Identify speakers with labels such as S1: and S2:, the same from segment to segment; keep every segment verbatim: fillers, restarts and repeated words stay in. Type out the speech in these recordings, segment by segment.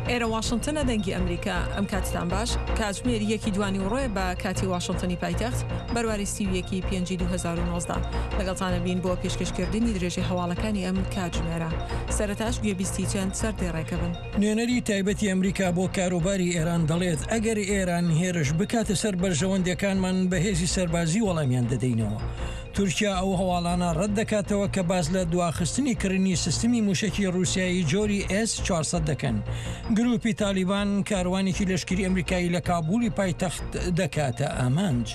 S1: ئێرە واشنتنە، دەنگی ئەمریکا. ئەم کاتتان باش. کاتژمێر یەکی دوانی ڕۆیە بە کاتی واشنتنی پایتەخت، بەرواری سی و یەکی پێنجی دوو هەزار و نۆزدە. لەگەڵتانە بین بۆ پێشکەشکردنی درێژەی هەواڵەکانی ئەم کاتژمێرە. سەرەتاش گوێبیستی چەند سەردێڕێکە بن.
S2: نوێنەری تایبەتی ئەمریکا بۆ کاروباری ئێران دەڵێت ئەگەر ئێران هێرش بکاتە سەر بەرژەوەندیەکانمان بە هێزی سەربازی وەڵامیان دەدەینەوە. تورکیا ئەو هەواڵانە ڕەت دەکاتەوە کە باس لە دواخستنی کڕینی سیستمی موشەکی ڕووسیایی جۆری ئێس چوار سەد دەکەن. گروپی تالیبان کاروانێکی لەشکری ئەمریکایی لە کابولی پایتەخت دەکاتە ئامانج.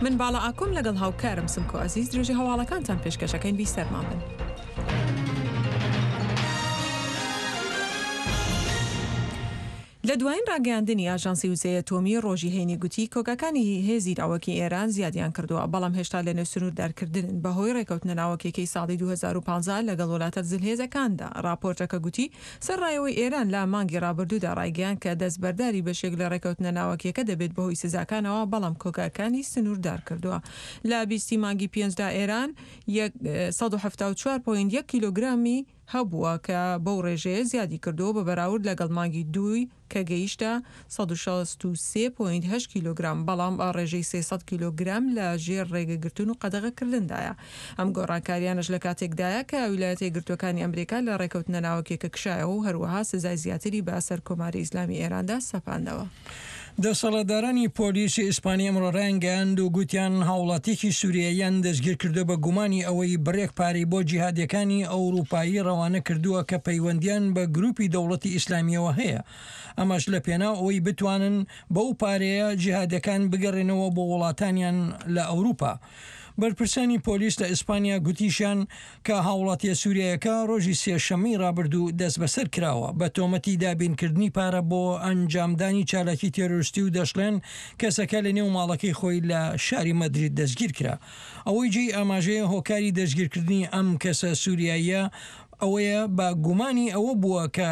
S1: من باڵا ئاکۆم لەگەڵ هاوکارم سمکۆ عەزیز درێژەی هەواڵەکانتان پێشکەشەکەین، بیسەرمان بن. لە دوایین ڕاگەیاندنی ئاژانسی وزەی ئەتۆمی ڕۆژی هەینی گوتی کۆگاکانی هێزی ناوەکی ئێران زیادیان کردووە، بەڵام هێشتا لەنێو سنووردارکردنن بەهۆی ڕێکەوتنە ناوەکیەکەی ساڵی دوو هەزار و پازدە لەگەڵ وڵاتە زلهێزەکاندا. ڕاپۆرتەکە گوتی سەرڕایەوەی ئێران لە مانگی ڕابردوودا ڕایگەیان کە دەستبەرداری بەشێک لە ڕێکەوتنە ناوەکیەکە دەبێت بەهۆی سزاکانەوە، بەڵام کۆگاکانی سنووردار کردووە. لە بیستی مانگی پێنجدا ئێران سەد و حەفتا و چوار پۆینت یەک کیلۆگرامی هەبووە کە بەو ڕێژەیە زیادی کردووە بە بەراورد لەگەڵ مانگی دووی کە گەیشتە سەد و شەست و سێ پۆینت هەشت کیلۆگرام، بەڵام ڕێژەی سێ سەد کیلۆگرام لە ژێر ڕێگەگرتن و قەدەغەکردندایە. ئەم گۆڕانکاریانش لە کاتێکدایە کە ویلایەتە یەکگرتووەکانی ئەمریکا لە ڕێکەوتنە ناوەکیەکە کشایەوە و هەروەها سزای زیاتری بە سەر کۆماری ئیسلامی ئێراندا سەپاندەوە.
S2: دەسەڵاتدارانی پۆلیسی ئیسپانی ئەمڕۆ ڕایانگەیاند و گوتیان هاوڵاتیەکی سووریاییان دەستگیر کردووە بە گومانی ئەوەی بڕێک پارەی بۆ جیهادیەکانی ئەوروپایی ڕەوانە کردووە کە پەیوەندیان بە گروپی دەوڵەتی ئیسلامیەوە هەیە. ئەمەش لە پێناو ئەوەی بتوانن بەو پارەیە جیهادەکان بگەڕێنەوە بۆ وڵاتانیان لە ئەوروپا. بەرپرسانی پۆلیس لە ئیسپانیا گوتیشیان کە هاوڵاتیە سووریایەکە ڕۆژی سێشەممەی ڕابردوو دەست بەسەر کراوە بە تۆمەتی دابینکردنی پارە بۆ ئەنجامدانی چالاکی تێرۆریستی و دەشڵێن کەسەکە لە نێو ماڵەکەی خۆی لە شاری مەدرید دەستگیر کرا. ئەوەی جێی ئاماژەیە هۆکاری دەستگیرکردنی ئەم کەسە سووریاییە ئەوەیە بە گومانی ئەوە بووە کە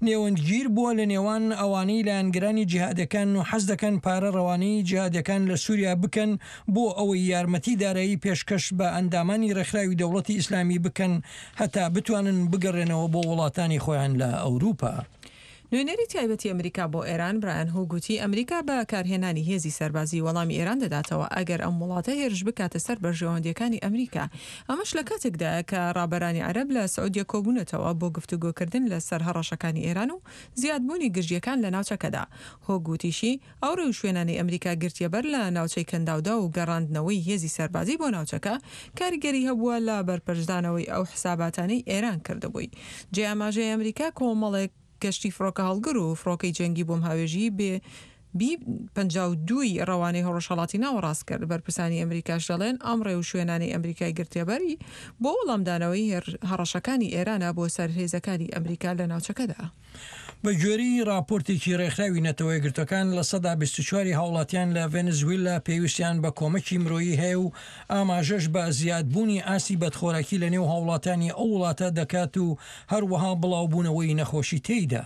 S2: نێوەندگیر بووە لە نێوان ئەوانەی لایەنگرانی جیهادەکان و حەز دەکەن پارە ڕەوانەی جیهادەکان لە سووریا بکەن بۆ ئەوەی یارمەتی دارایی پێشکەش بە ئەندامانی ڕێکخراوی دەوڵەتی ئیسلامی بکەن هەتا بتوانن بگەڕێنەوە بۆ وڵاتانی خۆیان لە ئەوروپا.
S1: نوێنەری تایبەتی ئەمریکا بۆ ئێران برایان هوک گوتی ئەمریکا بە کارهێنانی هێزی سەربازی وەڵامی ئێران دەداتەوە ئەگەر ئەم وڵاتە هێرش بکاتە سەر بەرژەوەندیەکانی ئەمریکا. ئەمەش لە کاتێکدایە کە ڕابەرانی عەرەب لە سعودیە کۆبوونەتەوە بۆ گفتوگۆکردن لەسەر هەڕەشەکانی ئێران و زیادبوونی گرژیەکان لە ناوچەکەدا. هوک گوتیشی ئەو ڕێوشوێنانەی ئەمریکا گرتیەبەر لە ناوچەی کەنداودا و گەڕاندنەوەی هێزی سەربازی بۆ ناوچەکە کاریگەری هەبووە لە بەرپەرچدانەوەی ئەو حساباتانەی ئێران کردبووی. جێ ئاماژەی ئەمریکا کۆمەڵێک گەشتی فڕۆکە هەڵگر و فڕۆکەی جەنگی بۆمهاوێژی بێ بی پەنجا و دووی ڕەوانەی ڕۆژهەڵاتی ناوەڕاست کرد. بەرپرسانی ئەمریکاش دەڵێن ئەم ڕێوشوێنانەی ئەمریکای گرتیەبەری بۆ وەڵامدانەوەی هەڕەشەکانی ئێرانە بۆ سەر هێزەکانی ئەمریکا لە ناوچەکەدا.
S2: بە گوێرەی راپۆرتێکی ڕێکخراوی نەتەوە یەکگرتووەکان لە سەدا بیست و چواری هاوڵاتیان لە ڤەنزوێلا پێویستیان بە کۆمەکی مرۆیی هەیە و ئاماژەش بە زیادبوونی ئاستی بەدخۆراکی لە نێو هاوڵاتانی ئەو وڵاتە دەکات و هەروەها بڵاوبوونەوەی نەخۆشی تێیدا.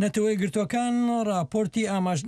S2: نەتەوە یەکگرتووەکان راپۆرتی ئاماژ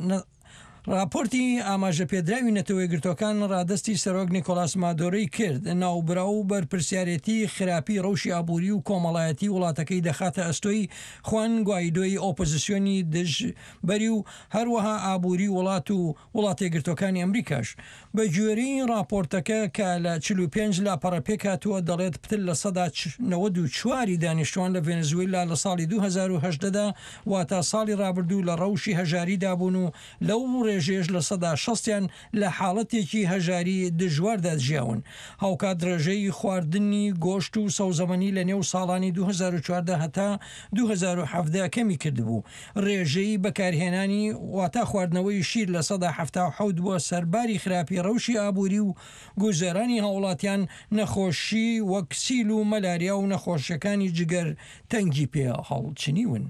S2: راپۆرتی ئاماژە پێدراوی نەتەوە یەکگرتووەکان ڕادەستی سەرۆک نیکۆلاس مادۆرۆی کرد. ناوبراو بەرپرسیارێتی خراپی ڕەوشی ئابووری و کۆمەڵایەتی وڵاتەکەی دەخاتە ئەستۆی خوان گوایدۆی ئۆپۆزیسیۆنی دژبەری و هەروەها ئابووری وڵات و وڵاتە یەکگرتووەکانی ئەمریکاش. بە گوێرەی راپۆرتەکە کە لە چل و پێنج لاپەڕە پێکهاتووە دەڵێت پتر لە سەدا نەوەد و چواری دانیشتوان لە ڤەنزوێلا لە ساڵی دوو هەزار و هەژدەدا واتە ساڵی ڕابردوو لە ڕەوشی هەژاریدا بوون و لەو ڕێژەیەش لە سەدا شەستیان لە حاڵەتێکی هەژاری دژواردا ژیاون. هاوکات ڕێژەی خواردنی گۆشت و سەوزەمەنی لە نێو ساڵانی دوو هەزار و چواردە هەتا دوو هەزار و حەڤدە کەمی کردبوو. ڕێژەی بەکارهێنانی واتە خواردنەوەی شیر لە سەدا حەفتا و حەوت بووە سەرباری خراپی ڕەوشی ئابووری و گوزەرانی هاوڵاتیان نەخۆشی وەک سیل و مەلاریا و نەخۆشیەکانی جگەر تەنگی پێ هەڵچنیون.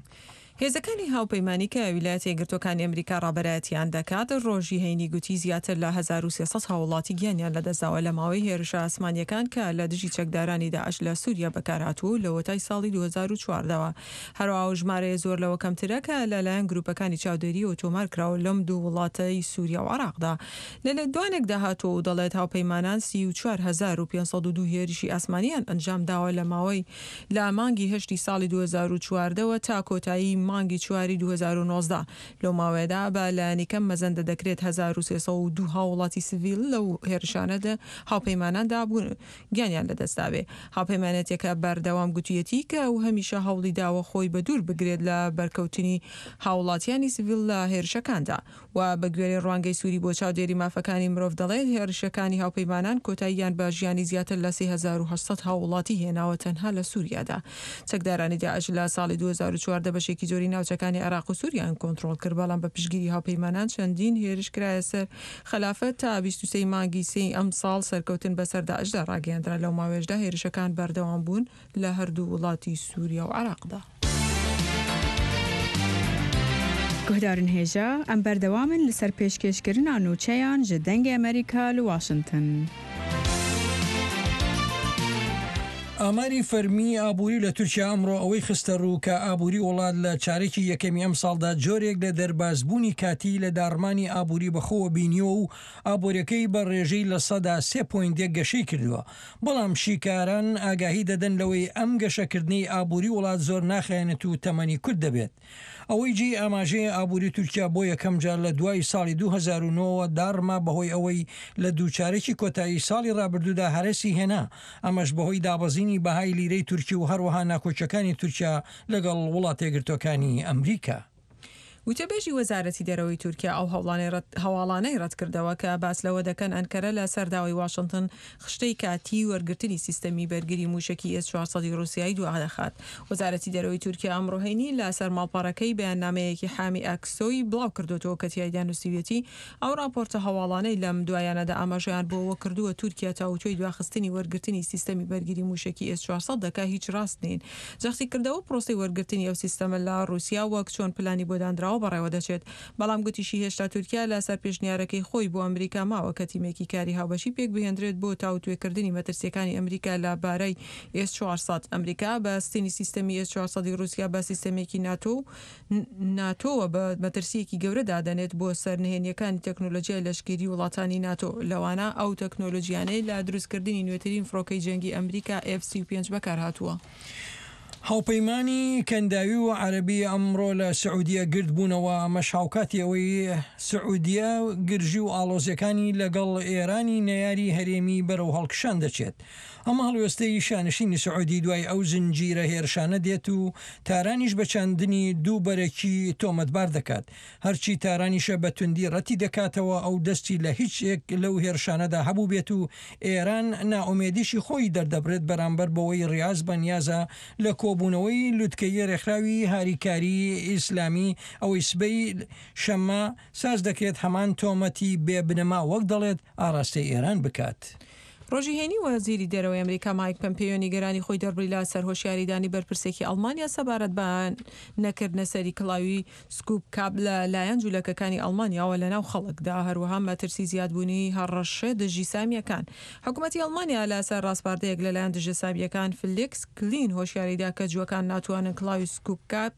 S1: هێزەکانی هاوپەیمانی کە ویلایەتە یەکگرتووەکانی ئەمریکا ڕابەرایەتیان دەکات ڕۆژی هەینی گوتی زیاتر لە هەزار و سێ سەد هاوڵاتی گیانیان لەدەستداوە لە ماوەی هێرشە ئاسمانیەکان کە لە دژی چەکدارانی داعش لە سووریا بەکارهاتووە و لەوەتای ساڵی دوو هەزار و چواردەوە. هەروەها ئەو ژمارەیە زۆر لەوە کەمترە کە لەلایەن گروپەکانی چاودێریەوە تۆمار کراوە لەم دوو وڵاتەی سووریا و عێراقدا. لە لێدوانێکدا هاتووە و دەڵێت هاوپەیمانان سی و چوار هەزار و پێنج سەد و دوو هێرشی ئاسمانیان ئەنجام داوە لە ماوەی لە مانگی هەشتی ساڵی دوو هەزار و چواردەوە تا کۆتایی مانگی چواری دوو هەزار و نۆزدە. لەو ماوەیەدا بە لایەنی کەم مەزەندە دەکرێت هەزار و سێ سەد و دوو هاووڵاتی سڤیل لەو هێرشانەدا هاوپەیماناندا بوون گیانیان لەدەستدابێ. هاوپەیمانێتیەکە بەردەوام گوتویەتی کە ئەو هەمیشە هەوڵی داوە خۆی بەدوور بگرێت لە بەرکەوتنی هاووڵاتیانی سڤیل لە هێرشەکاندا. و بەگوێرەی ڕوانگەی سوری بۆ چاودێری مافەکانی مرۆڤ دەڵێت هێرشەکانی هاوپەیمانان کۆتاییان بە ژیانی زیاتر لە سێ هەزار و هەشت سەد هاووڵاتی هێناوە تەنها لە سوریادا. چەکدارانی داعش لە ساڵی دوو هەزار و چواردە بەشێکی زۆری ناوچەکانی عێراق و سوریایان کۆنترۆڵ کرد، بەڵام بە پشتگیری هاوپەیمانان چەندین هێرش کرایە سەر خەلافەت تا بیست و سێ ی مانگی سێی ئەمساڵ سەرکەوتن بەسەر داعشدا ڕاگەیەندرا، لەو ماوەیەشدا هێرشەکان بەردەوام بوون لە هەردوو وڵاتی سوریا و عێراقدا.
S3: Guhdarên hêja, em berdewam in li ser pêşkêşkirina nûçeyan ji Dengê Amerîka li Washington.
S2: ئاماری فەرمی ئابووری لە تورکیا ئەمڕۆ ئەوەی خستە ڕوو کە ئابووری وڵات لە چارێکی یەکەمی ئەمساڵدا جۆرێک لە دەربازبوونی کاتی لە داڕمانی ئابووری بەخۆوە بینیوە و ئابووریەکەی بە ڕێژەی لە سەدا سێ پۆینت یەک گەشەی کردووە، بەڵام شیکاران ئاگاهی دەدەن لەوەی ئەم گەشەکردنەی ئابووری وڵات زۆر ناخایەنێت و تەمەنی کورت دەبێت. ئەوەی جێی ئاماژەیە ئابووری تورکیا بۆ یەکەم جار لە دوای ساڵی دوو هەزار و نۆ وە داڕما بەهۆی ئەوەی لە دوو چارەکی کۆتایی ساڵی ڕابردوودا هەرەسی هێنا، ئەمەش بەهۆی دابەزینی بەهای لیرەی تورکی و هەروەها ناکۆکیەکانی تورکیا لەگەڵ وڵاتەیەکگرتووەکانی ئەمریکا.
S1: وتەبێژی وەزارەتی دەرەوەی تورکیا ئەو هەواڵانەی ڕەتکردەوە کە باس لەوە دەکەن ئەنکەرە لە سەر داوای واشنتن خشتەی کاتیی وەرگرتنی سیستەمی بەرگری مووشەکی ئێس چوار سەد ی ڕووسیای دوادەخات. وەزارەتی دەرەوەی تورکیا ئەمڕۆ هەینی لە سەر ماڵپەڕەکەی بەیاننامەیەکی حامی ئاکسۆی بڵاوکردۆتەوە کە تیایدا نووسیویەتی ئەو ڕاپۆرتە هەواڵانەی لەم دوایانەدا ئاماژەیان بۆ ئەوە کردووە تورکیا تاوتوێی دواخستنی وەرگرتنی سیستەمی بەرگری مووشەکی ئێس چوار سەد دەکا هیچ ڕاست نین. جەختی کردەوە پرۆسەی وەرگرتنی ئەو سیستەمە لە ڕووسیا وەک چۆن پلانی بۆ دانراوە بەڕێوە دەچێت، بەڵام گوتیشی هێشتا تورکیا لەسەر پێشنیارەکەی خۆی بۆ ئەمریکا ماوە کە تیمێکی کاری هاوبەشی پێکبهێندرێت بۆ تاوتوێکردنی مەترسیەکانی ئەمریکا لە بارەی ئێس چوار سەد. ئەمریکا بەستنی سیستەمی ئێس چوار سەد ی ڕووسیا بە سیستەمێکی ناتۆ و ناتۆوە بە مەترسیەکی گەورە دادەنێت بۆ سەر نهێنیەکانی تەکنۆلۆژیای لەشکری وڵاتانی ناتۆ، لەوانە ئەو تەکنۆلۆژیانەی لە دروستکردنی نوێترین فڕۆکەی جەنگی ئەمریکا ئێف سی و پێنج بەکارهاتووە.
S2: هاوپەیمانی کەنداوی و عەرەبی ئەمڕۆ لە سعودیە گردبوونەوە، ئەمەش هاوکاتی ئەوەی سعودیە گرژی و ئاڵۆزیەکانی لەگەڵ ئێرانی نەیاری هەرێمی بەرەو هەڵکشان دەچێت. ئەمە هەڵوێستەی شانشینی سعودی دوای ئەو زنجیرە هێرشانە دێت و تارانیش بە چاندنی دوو بەرەکی تۆمەتبار دەکات. هەرچی تارانیشە بە توندی ڕەتی دەکاتەوە ئەو دەستی لە هیچ یەک لەو هێرشانەدا هەبوو بێت و ئێران نائومێدیشی خۆی دەردەبرێت بەرامبەر بەوەی ڕیاز بەنیازە لە کۆبوونەوەی لوتکەی ڕێکخراوی هاریکاری ئیسلامی ئەوەی سبەی شەممە ساز دەکرێت هەمان تۆمەتی بێبنەما وەک دەڵێت ئاراستەی ئێران بکات.
S1: ڕۆژی هەینی وەزیری دەرەوەی ئەمریکا مایک پەمپێیۆ نیگەرانی خۆی دەربڕی لە سەر هۆشیاریدانی بەرپرسێکی ئەڵمانیا سەبارەت بە نەکردنە سەری کڵاوی سکوپ کاپ لە لایەن جولەکەکانی ئەڵمانیاوە لە ناو خەڵکدا، هەروەها مەترسی زیادبوونی هەڕەشە دژی سامییەکان. حکومەتی ئەڵمانیا لە سەر ڕاسپاردەیەک لە لایەن دژە سامییەکان فلیکس کلین هۆشیاریدا کە جووەکان ناتوانن کڵاوی سکوپ کاپ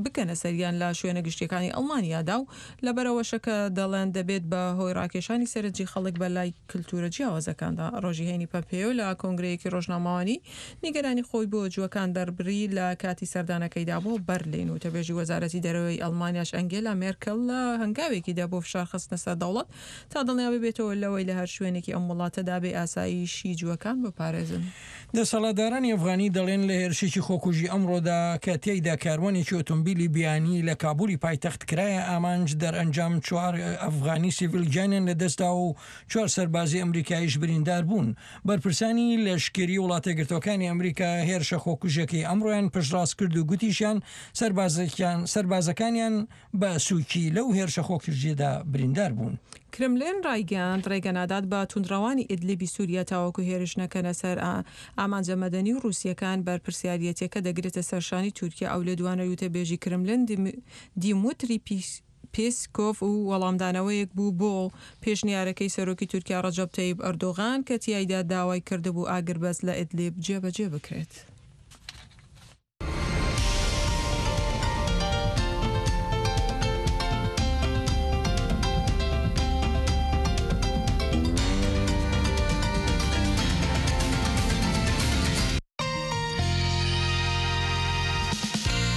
S1: بکەنە سەریان لە شوێنە گشتیەکانی ئەڵمانیادا و لەبەرئەوەشە کە دەڵێن دەبێت بە هۆی ڕاکێشانی سەرنجی خەڵک بە لای کلتورە جیاوازەکاندا. ڕۆژی هەینی پەمپێیۆ لە کۆنگرەیەکی ڕۆژنامەوانی نیگەرانی خۆی بۆ جووەکان دەربڕی لە کاتی سەردانەکەیدا بۆ بەرلین. وتەبێژی وەزارەتی دەرەوەی ئەڵمانیاش ئەنگێلا مێرکل لە هەنگاوێکیدا بۆ فشار خستنە سەر دەوڵەت تا دڵنیا ببێتەوە لەوەی لە هەر شوێنێکی ئەم وڵاتەدا بێ ئاسایشی جووەکان بپارێزن.
S2: دەسەڵاتدارانی ئەفغانی دەڵێن لە هێرشێکی خۆکوژی ئەمڕۆدا کە تێیدا کاروانێکی ئۆتۆمبیلی بیانی لە کابولی پایتەخت کرایە ئامانج، دەرئەنجام چوار ئەفغانی سیڤیل گیانیان لەدەستدا و چوار سەربازی ئەمریکاییش بریندار بوون. بەرپرسانی لەشکری وڵاتەیەکگرتووەکانی ئەمریکا هێرشە خۆکوژیەکەی ئەمڕۆیان پشتڕاست کرد و گوتیشیان سەربازەکانیان بە سووکی لەو هێرشە خۆکوژیەدا بریندار بوون.
S1: کرملین ڕایگەیاند ڕێگە نادات بە توندڕەوانی ئیدلیبی سووریا تاوەکو هێرش نەکەنە سەر ئامانجە مەدەنی و ڕووسیەکان، بەرپرسیاریەتیەکە دەگرێتە سەر شانی تورکیا. ئەو لێدوانەی وتەبێژی کرملین دیموتری پێسکۆف و وەڵامدانەوەیەک بوو بۆ پێشنیارەکەی سەرۆکی تورکیا ڕەجەب تەیب ئەردۆغان کە تیایدا داوای کردبوو ئاگربەست لە ئیدلیب جێبەجێ بکرێت.